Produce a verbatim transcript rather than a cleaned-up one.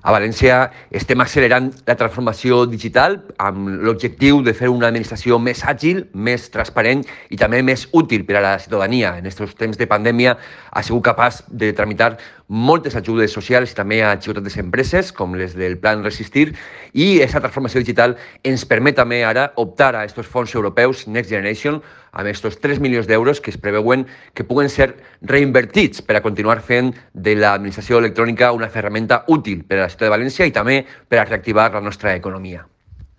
A València estem accelerant la transformació digital amb l'objectiu de fer una administració més àgil, més transparent i també més útil per a la ciutadania. En aquests temps de pandèmia ha sigut capaç de tramitar moltes ajudes socials i també a xicotetes empreses, com les del Plan Resistir, i aquesta transformació digital ens permet també ara optar a aquests fons europeus Next Generation amb aquests tres milions d'euros que es preveuen que puguen ser reinvertits per a continuar fent de l'administració electrònica una ferramenta útil per a la ciutat de València i també per a reactivar la nostra economia.